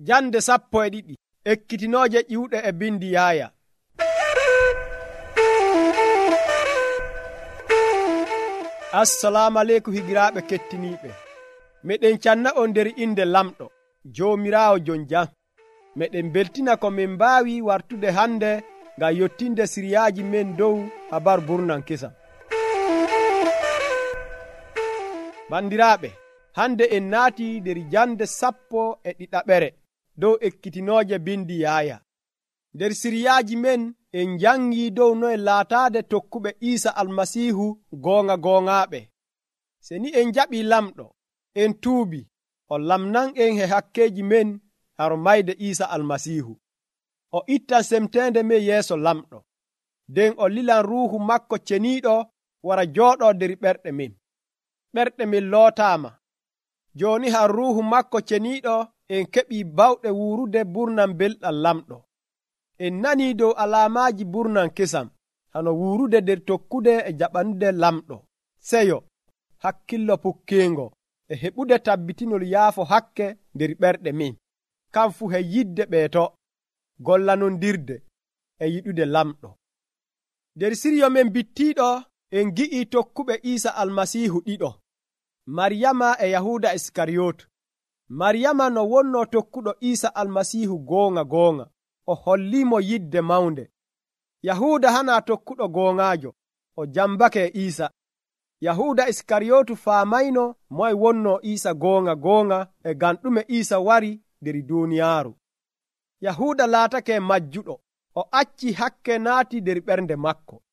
Jande 12 ekkitinooje ƴiwɗe e bindi Yaaya. Assalamu aleykum higiraaɓe kettiniiɓe. Meɗen canna on nder inde lamɗo Joomiraawo jon jam. Meɗen beltina ko min mbaawi wartude hande ngam yottinde siriyaaji men dow habar burnan kesam. Bandiraaɓe, hande en naati nder jande 12 dow ekkitinooje bindi Yaaya. Nder siriyaaji men en jangi dow noye laataade tokkuɓe Iisa Almasiihu goongaaɓe. Se ni en jaɓii lamɗo, en tuubi, o lamnan en he hakkeeji men haro mayde Iisa Almasiihu. O ittan semteende men yeeso lamɗo, nden o lilan ruuhu makko ceniiɗo wara jooɗoo nder ɓerɗe men. Ɓerɗe men lootaama. Jooni har ruuhu makko ceniiɗo en keɓii bawɗe wuurude burnan belɗam lamɗo. En nanii dow alaamaaji burnan kesam hano wuurude nder tokkude e jaɓanude lamɗo, seyo, hakkillo pukkeengo e heɓude tabbitinol yaafo hakke nder ɓerɗe men, kam fu he yidde ɓeeto, gollanondirde e yiɗude lamɗo. Nder siryo men bittiiɗo en gi'ii tokkuɓe Iisa Almasiihu ɗiɗo, Maryama e Yahuuda Iskariyot. Maryama no wonnoo tokkuɗo Iisa Almasiihu goonga, o holliimo yidde mawnde. Yahuuda hanaa tokkuɗo goongaajo, o jambake e Iisa. Yahuuda Iskariyootu faamayno moye wonnoo Iisa goonga e ngam ɗume Iisa wari nder duuniyaaru. Yahuuda laatake majjuɗo, o accii hakke naati nder ɓernde makko.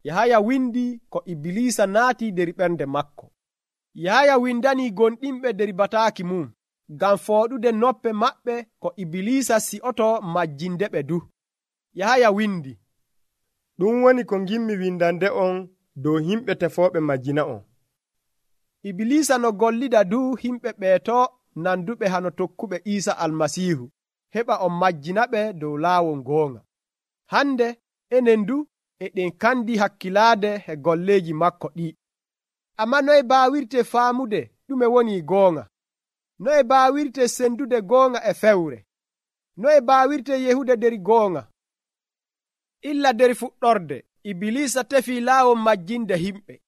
Yahaya windi ko Ibilisa naati nder ɓernde makko. Yahaya windanii gonɗinɓe nder bataaki mum ngam fooɗude noppe maɓɓe ko Ibilisa si'oto majjindeɓe du. Yahaya windi, ɗum woni ko ngimmi windande on dow himɓe tefooɓe majjina on. Ibilisa no gollida du himɓe ɓeeto nanduɓe hano tokkuɓe Iisa Almasiihu heɓa o majjinaɓe dow laawol goonga. Hande enen du eɗen kandi hakkilaade e golleeji makko ɗi. Amma noye baawirte faamude ɗume woni goonga? Noye baawirte sendude goonga e fewre? Noye baawirte yehude nder goonga? Illa nder fuɗɗorde Ibilisa tefii laawol majjinde himɓe.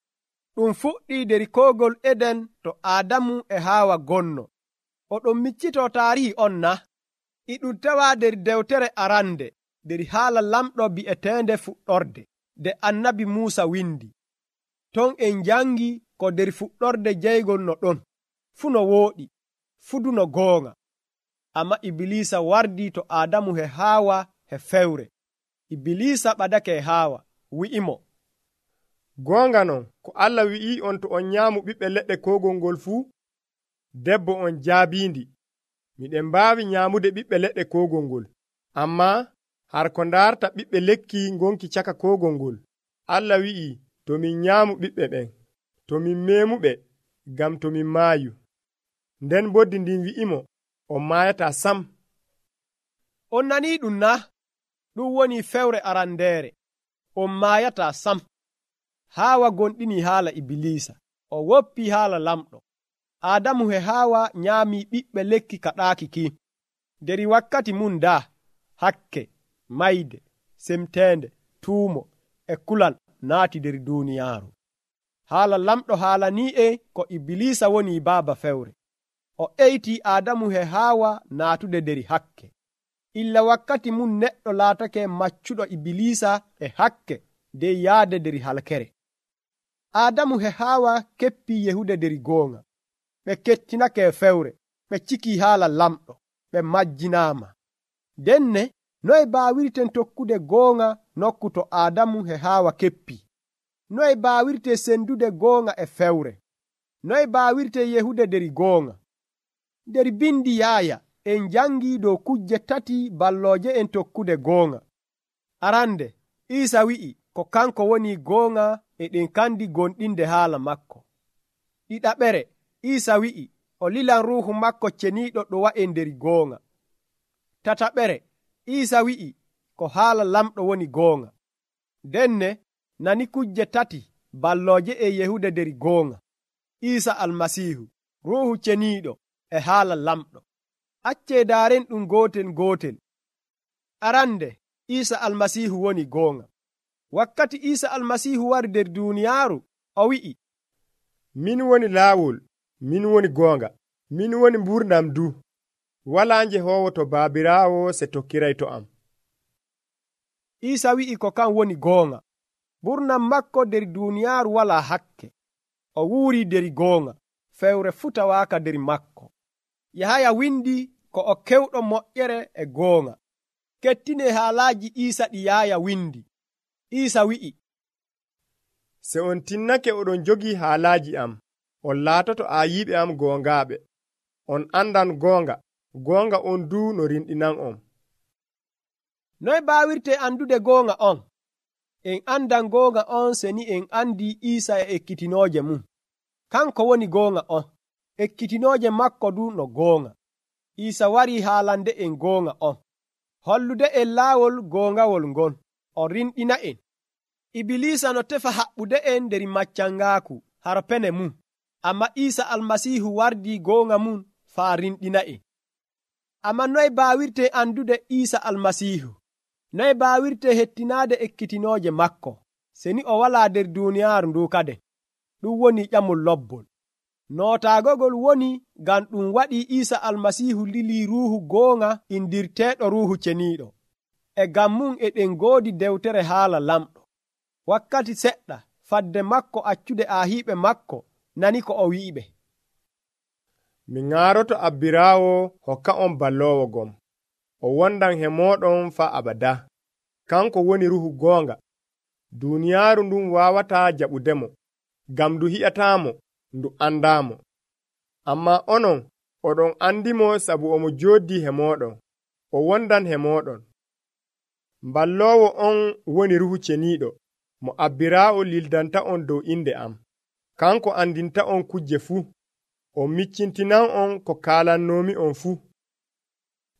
Ɗum fuɗɗii nder koogol Eden to Aadamu e Haawa gonno. Oɗon miccitoo taarihi on na? E ɗum tawaa nder dewtere arande nder haala lamɗo bi'eteende fuɗɗorde nde annabi Muusa windi. Ton en jangi ko nder fuɗɗorde jeygol no ɗon, fuu no wooɗi, fuu du no goonga. Amma Ibilisa wardii to Aadamu e Haawa e fewre. Ibilisa ɓadake e Haawa, wi'imo, goonga non, ko Allah wi'ii on to on nyaamu ɓiɓɓe leɗɗe koogol ngol fuu, debbo on jaabiindi, miɗen mbaawi nyaamude ɓiɓɓe leɗɗe koogol ngol, ammaa har ko ndaarta ɓiɓɓe lekki ngonki caka koogol ngol. Allah wi'ii, to min nyaamu ɓiɓɓe ɓen, to min meemuɓe, ngam to min maayu. Nden boddi ndin wi'imo, on maayataa sam. On nanii ɗum na? Ɗum woni fewre arandeere. On maayataa sam. Haawa gonɗini haala Ibilisa, o woppii haala lamɗo. Aadamu e Haawa nyaamii ɓiɓɓe lekki kaɗaaki ki. Nder wakkati mum daa, hakke, mayde, semteende, tuumo e kulal naati nder duuniyaaru. Haala lamɗo haalanii ko Ibilisa woni baaba fewre. O eytii Aadamu e Haawa naatude nder hakke. Illa wakkati mum neɗɗo laatake maccuɗo Ibilisa e hakke nden yaade nder halkere. Aadamu e Haawa keppii yehude nder goonga. Ɓe kettinake fewre, ɓe cikii haala lamɗo, ɓe majjinaama. Denne noye baawirten tokkude goonga nokku to Aadamu e Haawa keppii? Noye baawirte sendude goonga e fewre? Noye baawirte yehude nder goonga? Nder bindi Yaaya en jangii dow kujje tati ballooje en tokkude goonga. Arande, Iisa wi'i ko kanko woni goonga eɗen kandi gonɗinde haala makko. Ɗiɗaɓere, Iisa wi'i o lilan ruuhu makko ceniiɗo ɗo wa'en nder goonga. Tataɓere, Iisa wi'i ko haala lamɗo woni goonga. Denne nani kujje tati ballooje e yehude nder goonga. Iisa Almasiihu, ruuhu ceniiɗo e haala lamɗo. Accee daaren ɗum gootel gootel. Arande Iisa almasiihu woni goonga. Wakkati Iisa almasiihu wari nder duuniyaaru, o wi'i, min woni laawol, min woni goonga, min woni mburnam du. Walaa njehoowo to Baabiraawo se tokkiray to am. Iisa wi'i ko kan woni goonga. Ɓurnam makko nder duuniyaaru walaa hakke. O wuurii nder goonga, fewre futawaaka nder makko. Yahaya windi ko o kewɗo moƴƴere e goonga. Kettine haalaaji Iisa ɗi Yahaya windi. Iisa wi'i, se on tinnake oɗon jogii haalaaji am, on laatoto aayiiɓe am goongaaɓe. On andan goonga, goonga on du no rinɗinan on. Noy baawirte andude goonga on? En andan goonga on se ni en andi Iisa e ekkitinooje mum. Kanko woni goonga on. Ekkitinooje makko du no goonga. Iisa warii haalande en goonga on. Hollude en laawol goongawol ngon. O rinɗina en. Ibilisa no tefa haɓɓude en nder maccangaaku haro pene mum. Amma Iisa almasiihu wardii goonga mum faa rinɗina en. Amma noy baawirte andude Iisa almasiihu? Noy baawirte hettinaade ekkitinooje makko? Seni o walaa nder duuniyaaru ndu kade. Ɗum woni ƴamol lobbol. Nootaagogol woni ngam ɗum waɗii Iisa almasiihu lilii ruuhu goonga indirteeɗo ruuhu ceniiɗo. E ngam mum eɗen ngoodi dewtere haala lamɗo. Wakkati seɗɗa fadde makko accude aahiiɓe makko nani ko o wi'iɓe. Mi ŋaaroto Abbiraawo hokka on balloowo gom. O wondan he mooɗon faa abada. Kanko woni ruuhu goonga. Duuniyaaru ndun waawataa jaɓudemo, ngam ndu hi'ataamo, ndu andaamo. Ammaa onon, oɗon andimo sabu omo jooddii he mooɗon. O wondan he mooɗon. Balloowo on woni ruuhu ceniiɗo, mo Abbiraawo lildanta on dow inde am. Kanko andinta on kujje fuu. O miccintinan on ko kaalannoomi on fuu.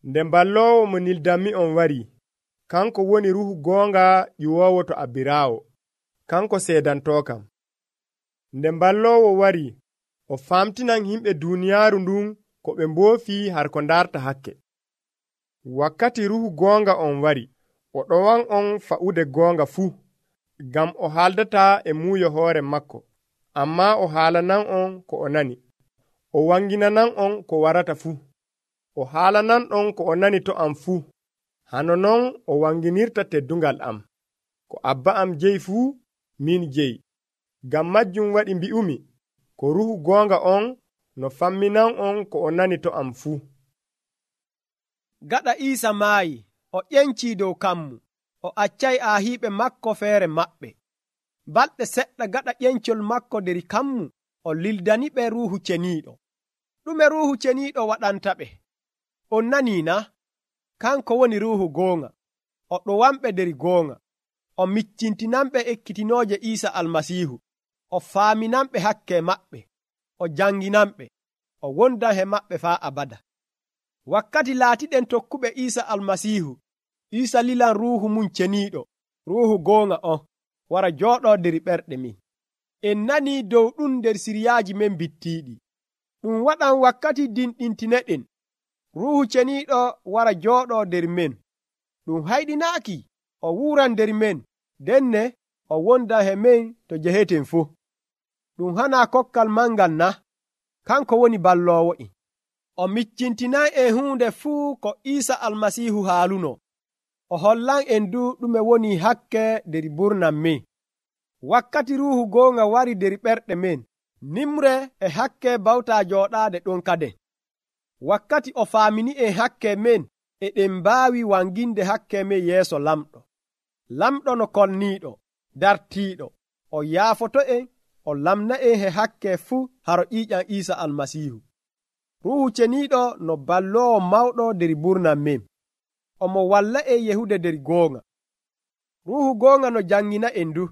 Nde balloowo mo nildanmi on warii, kanko woni ruuhu goonga ƴiwoowo to Abbiraawo. Kanko seedantookam. Nde balloowo warii, o famtinan himɓe duuniyaaru ndun ko ɓe mboofii har ko ndarta hakke. Wakkati ruuhu goonga on wari, o ɗowan on fa'ude goonga fuu, ngam o haaldataa e muuyo hoore makko, ammaa o haalanan on ko o nani. O wanginanan on ko warata fuu. O haalanan on ko o nani to am fuu. Hano non o wanginirta teddungal am. Ko Abba am jeyi fuu, min jeyi. Ngam majjum waɗi mbi'umi, ko ruuhu goonga on no famminan on ko o nani to am fuu. Gaɗa Iisa maayi, o ƴencii dow kammu. O accay aahiiɓe makko feere maɓɓe. Balɗe seɗɗa gaɗa ƴencol makko nder kammu, o lildaniɓe ruuhu ceniiɗo. Ɗume ruuhu ceniiɗo waɗantaɓe? On nanii na? Kanko woni ruuhu goonga. O ɗowanɓe nder goonga. O miccintinanɓe ekkitinooje Iisa almasiihu. O faaminanɓe hakke maɓɓe. O janginanɓe. O wondan he maɓɓe faa abada. Wakkati laatiɗen tokkuɓe Iisa almasiihu, Iisa lilan ruuhu mum ceniiɗo, ruuhu goonga on, wara jooɗoo nder ɓerɗe min. En nanii dow ɗum nder siryaaji men bittiiɗi. Ɗum waɗan wakkati dinɗintineɗen, ruuhu ceniiɗo wara jooɗoo nder men. Ɗum hayɗinaaki, o wuuran nder men, denne o wondan he men to jeheten fuu. Ɗum hanaa kokkal mangal na? Kanko woni balloowo'en. O miccintinan en huunde fuu ko Iisa almasiihu haaluno. O hollan en du ɗume woni hakke nder burnam men. Wakkati ruuhu goonga wari nder ɓerɗe men, nimre e hakke bawtaa jooɗaade ɗon kaden. Wakkati o faamini en hakke men, eɗen mbaawi wanginde hakke men yeeso lamɗo. Lamɗo no kolniiɗo, dartiiɗo, o yaafoto en, o lamna en he hakke fuu haro ƴiiƴam Iisa almasiihu. Ruuhu ceniiɗo no balloowo mawɗo nder burnam men. Omo walla en yehude nder goonga. Ruuhu goonga no jangina en du,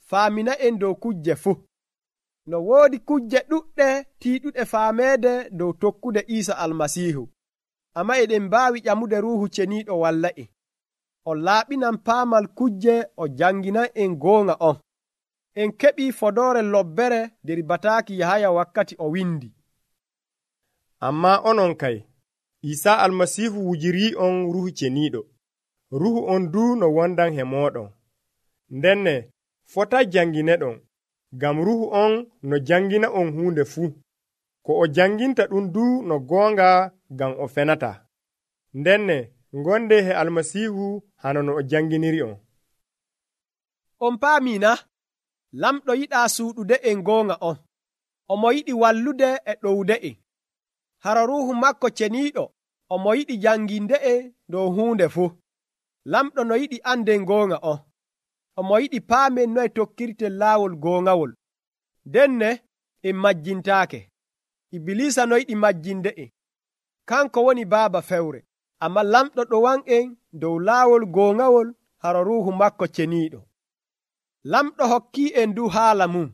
faamina en dow kujje fuu. No woodi kujje ɗuɗɗe tiiɗuɗe faameede dow tokkude Iisa almasiihu. Amma eɗen mbaawi ƴamude ruuhu ceniiɗo walla en. O laaɓinan paamal kujje, o janginan en goonga on. En keɓii fodoore lobbere nder bataaki Yahaya wakkati o windi. Ammaa onon kay, Isa almasihu wujiri on ruhu ceniiɗo. Ruhu on du no wondan he mooɗon. Ndenne fota jangine ɗon, ngam ruhu on no jangina on huunde fuu. Ko o janginta ɗum du no goonga ngam o fenata. Ndenne gonde he almasihu hano no o janginiri on. On paamina, lamɗo yiɗaa suuɗude en goonga on. Omo yiɗi wallude e ɗowde en. Hara ruhu makko ceniiɗo omo yiɗi janginde en dow huunde fuu. Lamɗo no yiɗi anden goonga on. Omo yiɗi paamen noye tokkirten laawol goongawol. Denne en majjintaake. Ibilisa no yiɗi majjinde en. Kanko woni baaba fewre. Amma lamɗo ɗowan en dow laawol goongawol hara ruhu makko ceniiɗo. Lamɗo hokkii en du haala mum.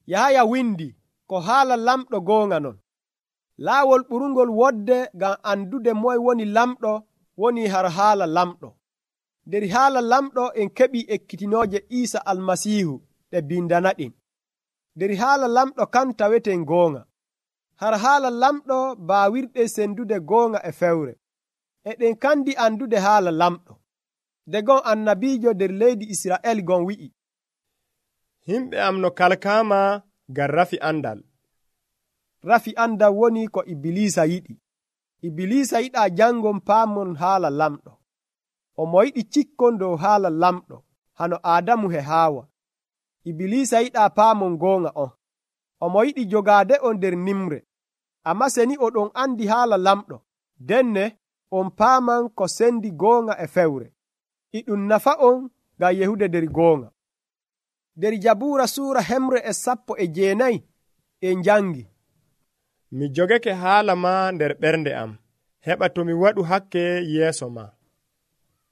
Yahaya windi ko haala lamɗo goonga non. Laawol ɓurungol wodde ngam andude moye woni lamɗo woni har haala lamɗo. Nder haala lamɗo en keɓi ekkitinooje Iisa almasiihu ɗe bindanaɗen. Nder haala lamɗo kan taweten goonga. Har haala lamɗo baawirɗe sendude goonga e fewre. Eɗen kandi andude haala lamɗo. Nde gon annabiijo nder leydi Isra'el gon wi'i, himɓe am no kalkaama ngam rafi andal. Rafi andal woni ko Ibilisa yiɗi. Ibilisa yiɗaa jangon paamon haala lamɗo. Omo yiɗi cikkon dow haala lamɗo hano Aadamu he Haawa. Ibilisa yiɗaa paamon goonga on. Omo yiɗi jogaade on nder nimre. Amma seni oɗon andi haala lamɗo, denne on paaman ko sendi goonga e fewre. Iɗum nafa on ngam yehude nder goonga. Nder Jabuura suura 119 en jangi, mi jogake haala ma nder ɓernde am, heɓa to mi waɗu hakke yeeso ma.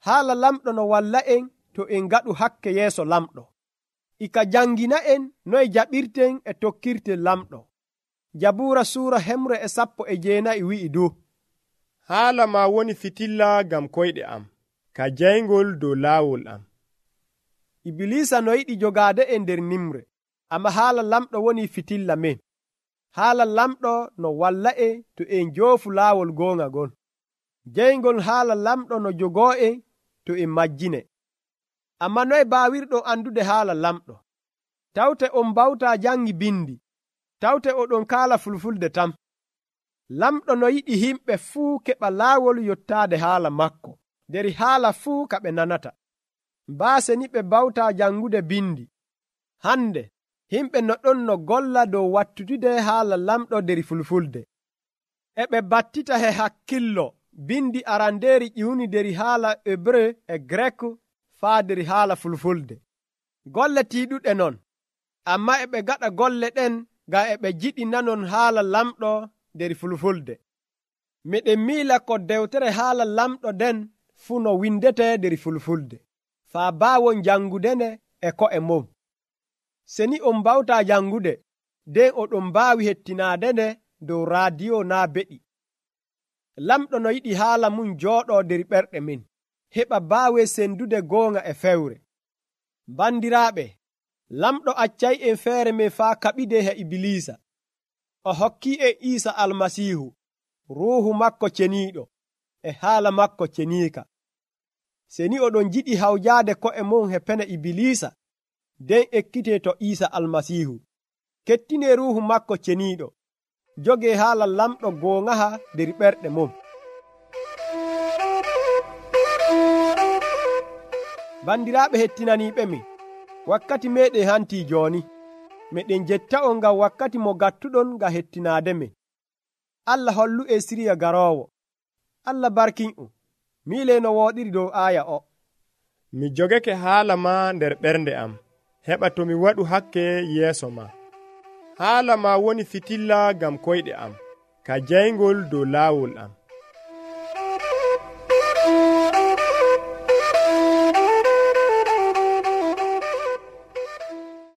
Haala lamɗo no walla en to en ngaɗu hakke yeeso lamɗo. Ika jangina en noye jaɓirten e tokkirten lamɗo. Jabuura suura 119 wi'i du, haala ma woni fitilla ngam koyɗe am, ka jayngol dow laawol am. Ibilisa no yiɗi jogaade en nder nimre, amma haala lamɗo woni fitilla men. Haala lamɗo no walla en to en joofu laawol goonga gon. Jeyngol haala lamɗo no jogoo en to en majjine. Amma noye baawirɗo andude haala lamɗo? Tawte on bawtaa jangi bindi. Tawte oɗon kaala fulfulde tam. Lamɗo no yiɗi himɓe fuu keɓa laawol yottaade haala makko, nder haala fuu ka ɓe nanata. Baase ni ɓe bawtaa jangude bindi. Hande, himɓe no ɗon no golla dow wattutude haala lamɗo nder fulfulde. E ɓe battita he hakkillo bindi arandeeri ƴiwni nder haala Hebre e Grek faa nder haala fulfulde. Golle tiiɗuɗe non, amma e ɓe gaɗa golle ɗen ngam e ɓe jiɗi nanon haala lamɗo nder fulfulde. Miɗen miila ko dewtere haala lamɗo den fuu no windete nder fulfulde, faa baawon jangudene e ko'e mum. Seni on bawtaa jangude, nden oɗon mbaawi hettinaadene dow raadiyo naa beɗi. Lamɗo no yiɗi haala mum jooɗoo nder ɓerɗe men, heɓa baawe sendude goonga e fewre. Bandiraaɓe, lamɗo accay en feere men faa kaɓide he Ibilisa. O hokkii en Iisa almasiihu, ruuhu makko ceniiɗo, e haala makko ceniika. Seni oɗon jiɗi hawjaade ko'e mon he pene Ibilisa, nden ekkitee to Iisa almasiihu. Kettinee ruuhu makko ceniiɗo. Jogee haala lamɗo goongaha nder ɓerɗe mum. Bandiraaɓe hettinaniiɓe min, wakkati meeɗen hantii jooni. Meɗen jetta'on ngam wakkati mo gattuɗon ngam hettinaade men. Allah hollu e siriya garoowo. Allah barkin'on. Miile no wooɗiri dow aaya o. Mi jogake haala ma nder ɓernde am, heɓa to mi waɗu hakke yeeso ma. Haala ma woni fitilla ngam koyɗe am, ka jayngol dow laawol am.